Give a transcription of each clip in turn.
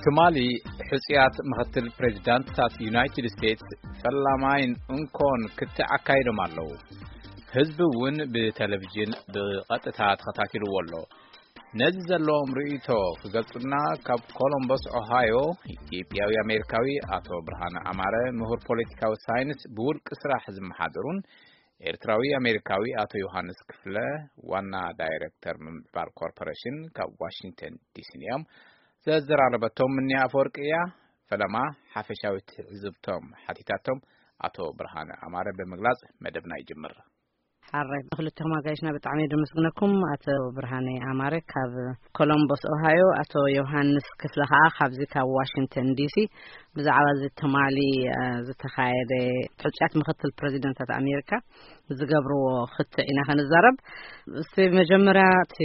ትማሊ ሕጽያት ምኽትል ፕሬዚዳንትታት ዩናይትድ ስቴትስ ፈላማይን እንኮን ክትዕ ኣካይዶም ኣለዉ። ህዝቢ እውን ብቴሌቪዥን ብቐጥታ ተኸታቲልዎ ኣሎ። ነዚ ዘለዎም ርእይቶ ክገልጹና ካብ ኮሎምበስ ኦሃዮ ኢትዮጵያዊ ኣሜሪካዊ ኣቶ ብርሃነ ኣማረ፣ ምሁር ፖለቲካዊ ሳይንስ ብውልቂ ስራሕ ዝመሓደሩን ኤርትራዊ ኣሜሪካዊ ኣቶ ዮሃንስ ክፍለ፣ ዋና ዳይሬክተር ምምዕባል ኮርፖሬሽን ካብ ዋሽንግተን ዲሲን እዮም። ዘዘራረበቶም ምንያ ኣፈወርቂ እያ። ፈለማ ሓፈሻዊ ትዕዝብቶም ሓቲታቶም ኣቶ ብርሃነ ኣማረ ብምግላጽ መደብና ይጅምር። ሓራይ ንክልተኹም ኣጋይሽና ብጣዕሚ እየ ደመስግነኩም። ኣቶ ብርሃነ ኣማረ ካብ ኮሎምቦስ ኦሃዮ፣ ኣቶ ዮሃንስ ክፍለ ከዓ ካብዚ ካብ ዋሽንግተን ዲሲ ብዛዕባ እዚ ትማሊ ዝተኻየደ ሕጹያት ምክትል ፕሬዚደንታት ኣሜሪካ ዝገብርዎ ክትዕ ኢና ከንዛረብ። እስቲ መጀመርያ እቲ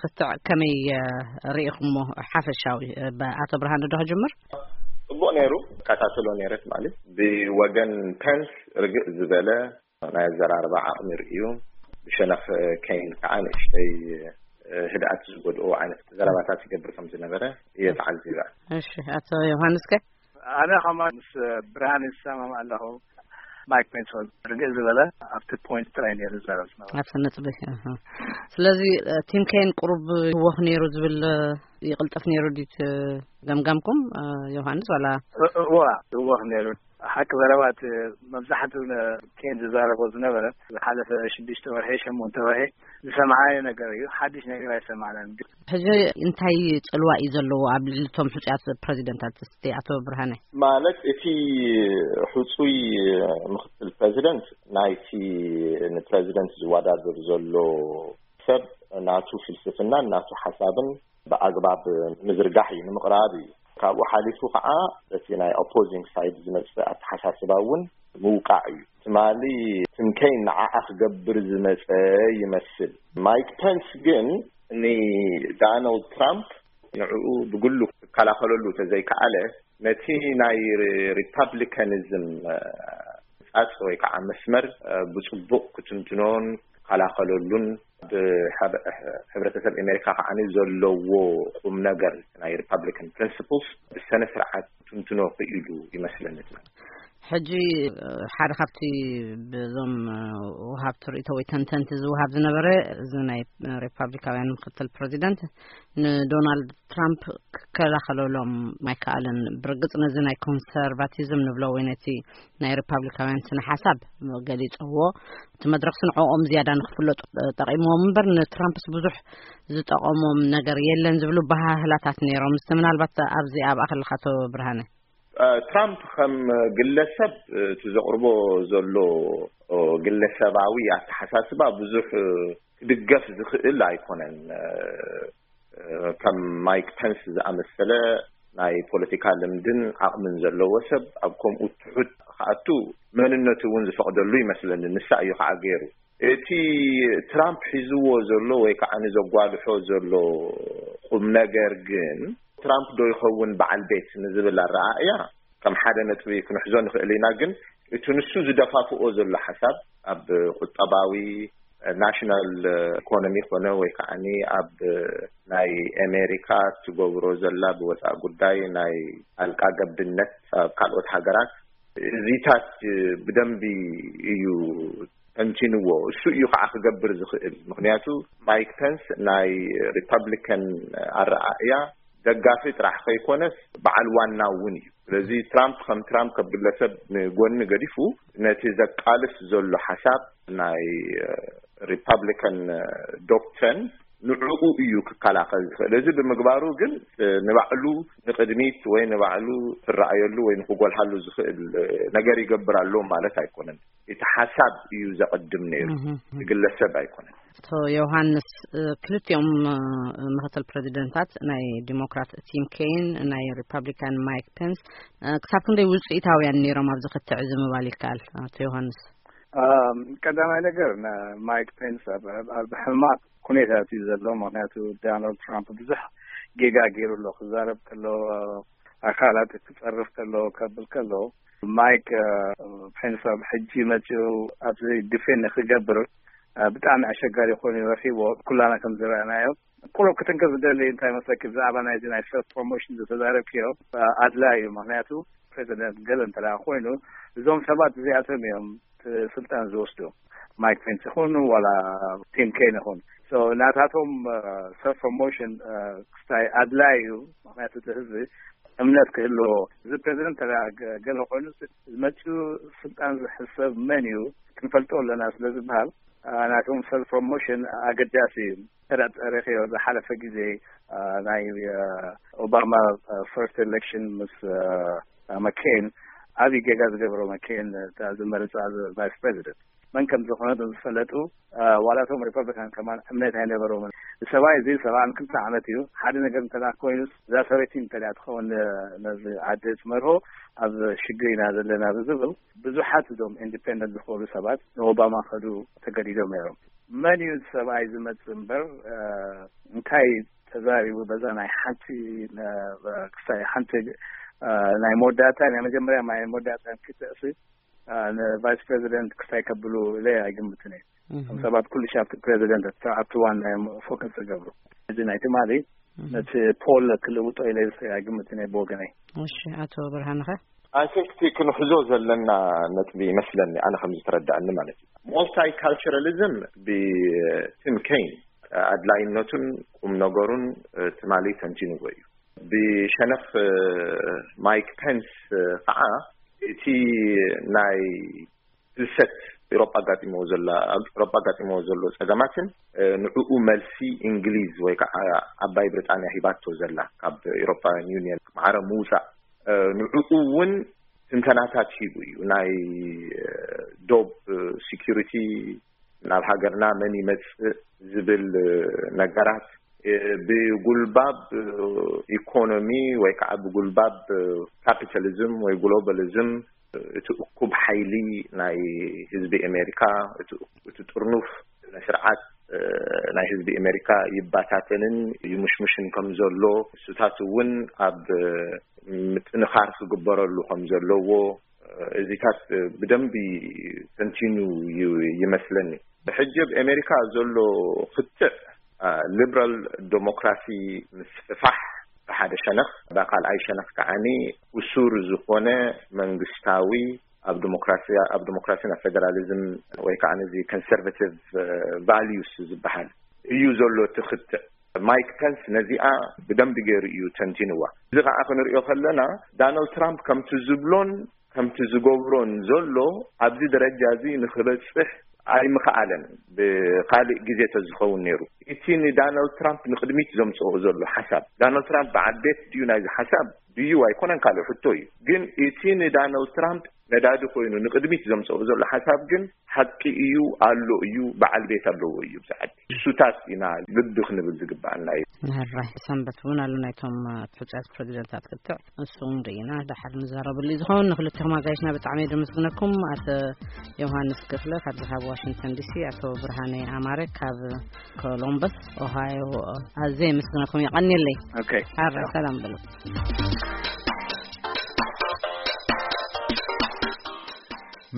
ክትዕ ከመይ ርኢኹሞ ሓፈሻዊ? ኣቶ ብርሃነ ዶ ክጅምር? ጽቡቕ ነይሩ። ከታተሎ ነይረ ማለት ብወገን ፐንስ ርግእ ዝበለ ናይ ኣዘራርባ ዓቕሚ ርእዩ፣ ብሸነኽ ከይን ከዓ ንእሽተይ ህድኣት ዝጎድኦ ዓይነት ዘረባታት ይገብር ከም ዝነበረ እየ ተዓዚበ። እሺ፣ ኣቶ ዮሃንስ ከ? ኣነ ከማን ምስ ብርሃን ይሰማም ኣለኹ። ማይክ ፔንስ ርግእ ዝበለ ኣብቲ ፖይንት ጥራይ ነይሩ ዝዛረብ ዝነበረ። ኣብቲ ነጥቢ። ስለዚ ቲም ኬን ቁሩብ ይወኽ ነይሩ ዝብል፣ ይቕልጥፍ ነይሩ ዲት ገምጋምኩም ዮሃንስ ዋላ? እዋ ይወኽ ነይሩ። ሓቂ ዘረባት መብዛሕትኡ ኬን ዝዛረቦ ዝነበረ ዝሓለፈ ሽዱሽተ ወርሒ ሸሞንተ ወርሒ ዝሰማዓዮ ነገር እዩ። ሓድሽ ነገር ኣይሰማዕናን። ግን ሕጂ እንታይ ጽልዋ እዩ ዘለዎ ኣብ ልዕሊ እቶም ሕጹያት ፕረዚደንታት? እስቲ ኣቶ ብርሃነ። ማለት እቲ ሕጹይ ምክትል ፕረዚደንት ናይቲ ንፕረዚደንት ዝወዳደር ዘሎ ሰብ ናቱ ፍልስፍናን ናቱ ሓሳብን ብኣግባብ ምዝርጋሕ እዩ፣ ንምቕራብ እዩ። ካብኡ ሓሊፉ ከዓ እቲ ናይ ኦፖዚንግ ሳይድ ዝመፅእ ኣተሓሳስባ እውን ምውቃዕ እዩ። ትማሊ ትምከይ ንዓኣ ክገብር ዝመፀ ይመስል። ማይክ ፐንስ ግን ንዳናልድ ትራምፕ ንዕኡ ብግሉ ክከላኸለሉ ተዘይከኣለ፣ ነቲ ናይ ሪፓብሊካኒዝም ፃፅ ወይ ከዓ መስመር ብፅቡቅ ክትንትኖን ክከላኸለሉን ብሕብረተሰብ ኣሜሪካ ከዓ ዘለዎ ቁም ነገር ናይ ሪፓብሊካን ፕሪንስፕልስ ብሰነ ስርዓት ትንትኖ ክኢሉ ይመስለኒ። ሕጂ ሓደ ካብቲ ብዞም ወሃብቲ ርእይቶ ወይ ተንተንቲ ዝወሃብ ዝነበረ እዚ ናይ ሪፓብሊካውያን ምክትል ፕረዚደንት ንዶናልድ ትራምፕ ክከላኸለሎም ኣይከኣለን። ብርግጽ ነዚ ናይ ኮንሰርቫቲዝም ንብሎ ወይ ነቲ ናይ ሪፓብሊካውያን ስነ ሓሳብ ገሊጸዎ። እቲ መድረክሲ ንዕኦም ዝያዳ ንክፍለጡ ጠቂምዎም እምበር ንትራምፕስ ብዙሕ ዝጠቐሞም ነገር የለን ዝብሉ ባህህላታት ነይሮም። እስቲ ምናልባት ኣብዚ ኣብኣ ከለካ ኣቶ ብርሃነ። ትራምፕ ከም ግለሰብ እቲ ዘቕርቦ ዘሎ ግለሰባዊ ኣተሓሳስባ ብዙሕ ክድገፍ ዝኽእል ኣይኮነን። ከም ማይክ ፐንስ ዝኣመሰለ ናይ ፖለቲካ ልምድን ዓቕምን ዘለዎ ሰብ ኣብ ከምኡ ትሑት ክኣቱ መንነቱ እውን ዝፈቕደሉ ይመስለኒ። ንሳ እዩ ከዓ ገይሩ። እቲ ትራምፕ ሒዝዎ ዘሎ ወይ ከዓ ንዘጓልሖ ዘሎ ቁም ነገር ግን ትራምፕ ዶ ይኸውን በዓል ቤት ንዝብል ኣረኣእያ ከም ሓደ ነጥቢ ክንሕዞ ንኽእል ኢና። ግን እቲ ንሱ ዝደፋፍኦ ዘሎ ሓሳብ ኣብ ቁጠባዊ ናሽናል ኢኮኖሚ ኮነ ወይ ከዓ ኣብ ናይ ኣሜሪካ ትገብሮ ዘላ ብወፃኢ ጉዳይ ናይ ጣልቃ ገብነት ኣብ ካልኦት ሃገራት እዚታት ብደንቢ እዩ ተንቲንዎ። እሱ እዩ ከዓ ክገብር ዝኽእል። ምክንያቱ ማይክ ፐንስ ናይ ሪፐብሊካን ኣረኣእያ ደጋፊ ጥራሕ ከይኮነስ በዓል ዋና እውን እዩ። ስለዚ ትራምፕ ከም ትራምፕ ከም ግለሰብ ንጎኒ ገዲፉ ነቲ ዘቃልስ ዘሎ ሓሳብ ናይ ሪፐብሊካን ዶክትሪን ንዕኡ እዩ ክከላኸል ዝኽእል። እዚ ብምግባሩ ግን ንባዕሉ ንቕድሚት ወይ ንባዕሉ ክረኣየሉ ወይ ንክጎልሃሉ ዝኽእል ነገር ይገብር ኣሎ ማለት ኣይኮነን። እቲ ሓሳብ እዩ ዘቐድም ነይሩ፣ እቲ ግለሰብ ኣይኮነን። ኣቶ ዮሃንስ፣ ክልቲኦም ምክትል ፕረዚደንታት ናይ ዲሞክራት ቲም ኬን፣ ናይ ሪፐብሊካን ማይክ ፔንስ ክሳብ ክንደይ ውፅኢታውያን ነይሮም ኣብዚ ክትዕ እዚ ምባል ይከኣል? ኣቶ ዮሃንስ። ቀዳማይ ነገር ማይክ ፔንስ ኣብ ሕማቕ ኩነታት እዩ ዘሎ። ምክንያቱ ዳናልድ ትራምፕ ብዙሕ ጌጋ ገይሩ ኣሎ። ክዛረብ ከሎ፣ ኣካላት ክፀርፍ ከሎ፣ ከብል ከሎ፣ ማይክ ፔንስ ኣብ ሕጂ መፂኡ ኣብዚ ዲፌንድ ክገብር ብጣዕሚ ኣሸጋሪ ኮይኑ ረኪቦ። ኩላና ከም ዝረኣናዮ ቁሩብ ክትንክፍ ዝደሊ እንታይ መስለኪ፣ ብዛዕባ ናይዚ ናይ ሰልፍ ፕሮሞሽን ዝተዛረብክዮ ኣድላይ እዩ። ምክንያቱ ፕሬዚደንት ገለ እንተ ኮይኑ እዞም ሰባት እዚኣቶም እዮም ስልጣን ዝወስዱ። ማይክ ፔንስ ይኹን ዋላ ቲም ኬን ይኹን ናታቶም ሰልፍ ፕሮሞሽን ክስታይ ኣድላይ እዩ። ምክንያቱ እቲ ህዝቢ እምነት ክህልዎ፣ እዚ ፕሬዚደንት ገለ ኮይኑ ዝመፅኡ ስልጣን ዝሕሰብ መን እዩ ክንፈልጦ ኣለና ስለ ዝበሃል ናቶም ሰልፍ ፕሮሞሽን ኣገዳሲ እዩ። ተረኺዮ ዝሓለፈ ግዜ ናይ ኦባማ ፈርስት ኤሌክሽን ምስ መኬን ዓብዪ ጌጋ ዝገበሮ መኬን ዝመረፃ ቫይስ ፕሬዚደንት መን ከም ዝኾነ ዝፈለጡ ዋላቶም ሪፐብሊካን ከማን እምነት ኣይነበሮምን። ሰብኣይ እዚ ሰብኣን ክልተ ዓመት እዩ። ሓደ ነገር እንተ ኮይኑ እዛ ሰበይቲ እንተ ትኸውን ነዚ ዓዲ ትመርሆ ኣብ ሽግር ኢና ዘለና ብዝብል ብዙሓት እዞም ኢንዲፔንደንት ዝኾኑ ሰባት ንኦባማ ከዱ ተገዲዶም ነይሮም። መን እዩ ሰብኣይ ዝመፅእ እምበር እንታይ ተዛሪቡ በዛ ናይ ሓንቲ ክሳይ ሓንቲ ናይ መወዳእታ ናይ መጀመርያ ናይ መወዳእታ ክትእሲ ንቫይስ ፕሬዚደንት ክስታይ ከብሉ ኢለ ኣይግምትን እየ። እቶም ሰባት ኩሉ ሻፍቲ ፕሬዚደንት ኣብቲ ዋና እዮም ፎከስ ዝገብሩ። እዚ ናይ ትማሊ ነቲ ፖል ክልውጦ ኢለ ኣይግምትን እየ ብወገነይ። እሺ፣ ኣቶ ብርሃንኸ? ኣይ ቲንክ እቲ ክንሕዞ ዘለና ነጥቢ ይመስለኒ፣ ኣነ ከም ዝተረዳእኒ ማለት እዩ። ማልታይ ካልቸራሊዝም ብቲም ኬን ኣድላይነቱን ቁም ነገሩን ትማሊ ተንቲንዎ እዩ። ብሸነኽ ማይክ ፔንስ ከዓ እቲ ናይ ፍልሰት ኤሮጳ ኣጋጢምዎ ዘላ ኤሮጳ ኣጋጢምዎ ዘሎ ጸገማትን ንዕኡ መልሲ እንግሊዝ ወይ ከዓ ዓባይ ብሪጣንያ ሂባቶ ዘላ ካብ ኤሮፓውያን ዩኒየን ማዕረ ምውፃእ ንዕኡ እውን ትንተናታት ሂቡ እዩ። ናይ ዶብ ሲኪሪቲ ናብ ሃገርና መን ይመፅእ ዝብል ነገራት ብጉልባብ ኢኮኖሚ ወይ ከዓ ብጉልባብ ካፒታሊዝም ወይ ግሎባሊዝም እቲ እኩብ ሓይሊ ናይ ህዝቢ ኣሜሪካ እቲ ጥርኑፍ ስርዓት ናይ ህዝቢ ኣሜሪካ ይባታተንን ይሙሽሙሽን ከም ዘሎ እሱታት እውን ኣብ ምጥንኻር ክግበረሉ ከም ዘለዎ እዚታት ብደንቢ ተንቲኑ ይመስለኒ። ብሕጂ ኣብ ኣሜሪካ ዘሎ ክትዕ ሊብራል ዴሞክራሲ ምስፍፋሕ ብሓደ ሸነኽ፣ ብካልኣይ ሸነኽ ከዓኒ እሱር ዝኾነ መንግስታዊ ኣብ ዲሞክራሲ ኣብ ዲሞክራሲን ኣብ ፌደራሊዝም ወይ ከዓ ነዚ ኮንሰርቫቲቭ ቫልዩስ ዝበሃል እዩ ዘሎ እቲ ክትዕ። ማይክ ፐንስ ነዚኣ ብደንቢ ገይሩ እዩ ተንቲንዋ። እዚ ከዓ ክንሪኦ ከለና ዳናልድ ትራምፕ ከምቲ ዝብሎን ከምቲ ዝገብሮን ዘሎ ኣብዚ ደረጃ እዚ ንክበፅሕ ኣይምኸኣለን። ብካሊእ ግዜ ተዝኸውን ነይሩ እቲ ንዳናልድ ትራምፕ ንቅድሚት ዘምፅኦ ዘሎ ሓሳብ ዳናልድ ትራምፕ በዓል ቤት ድዩ ናይዚ ሓሳብ ድዩ ኣይኮነን ካልእ ሕቶ እዩ። ግን እቲ ንዳናልድ ትራምፕ ነዳዲ ኮይኑ ንቅድሚት ዘምፅኦ ዘሎ ሓሳብ ግን ሓቂ እዩ ኣሎ እዩ በዓል ቤት ኣለዎ እዩ ብዛዕዲ እሱታት ኢና ልቢ ክንብል ዝግባኣና እዩ። ንህራይ ሰንበት እውን ኣሎ ናይቶም ሕፁያት ፕሬዚደንታት ክትዕ እሱ እውን ርኢና ደሓር ንዛረበሉ እዩ ዝኸውን። ንክልቲኹም ኣጋይሽና ብጣዕሚ እየ ዘመስግነኩም። ኣቶ ዮሃንስ ክፍለ ካብዚ ካብ ዋሽንግተን ዲሲ፣ ኣቶ ብርሃነ ኣማረ ካብ ኮሎምበስ ኦሃዮ ኣዝየ የመስግነኩም። የቐንየለይ። ኦኬ። ሓራ ሰላም በሉ።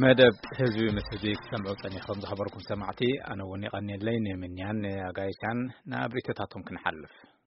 መደብ ህዝቢ ምስ ህዝቢ ክትሰምዑ ጸኒሕኩም ዝኸበርኩም ሰማዕቲ፣ ኣነ እውን የቐንየለይ ንምንያን ኣጋይሻን ናብ ሪቶታቶም ክንሓልፍ።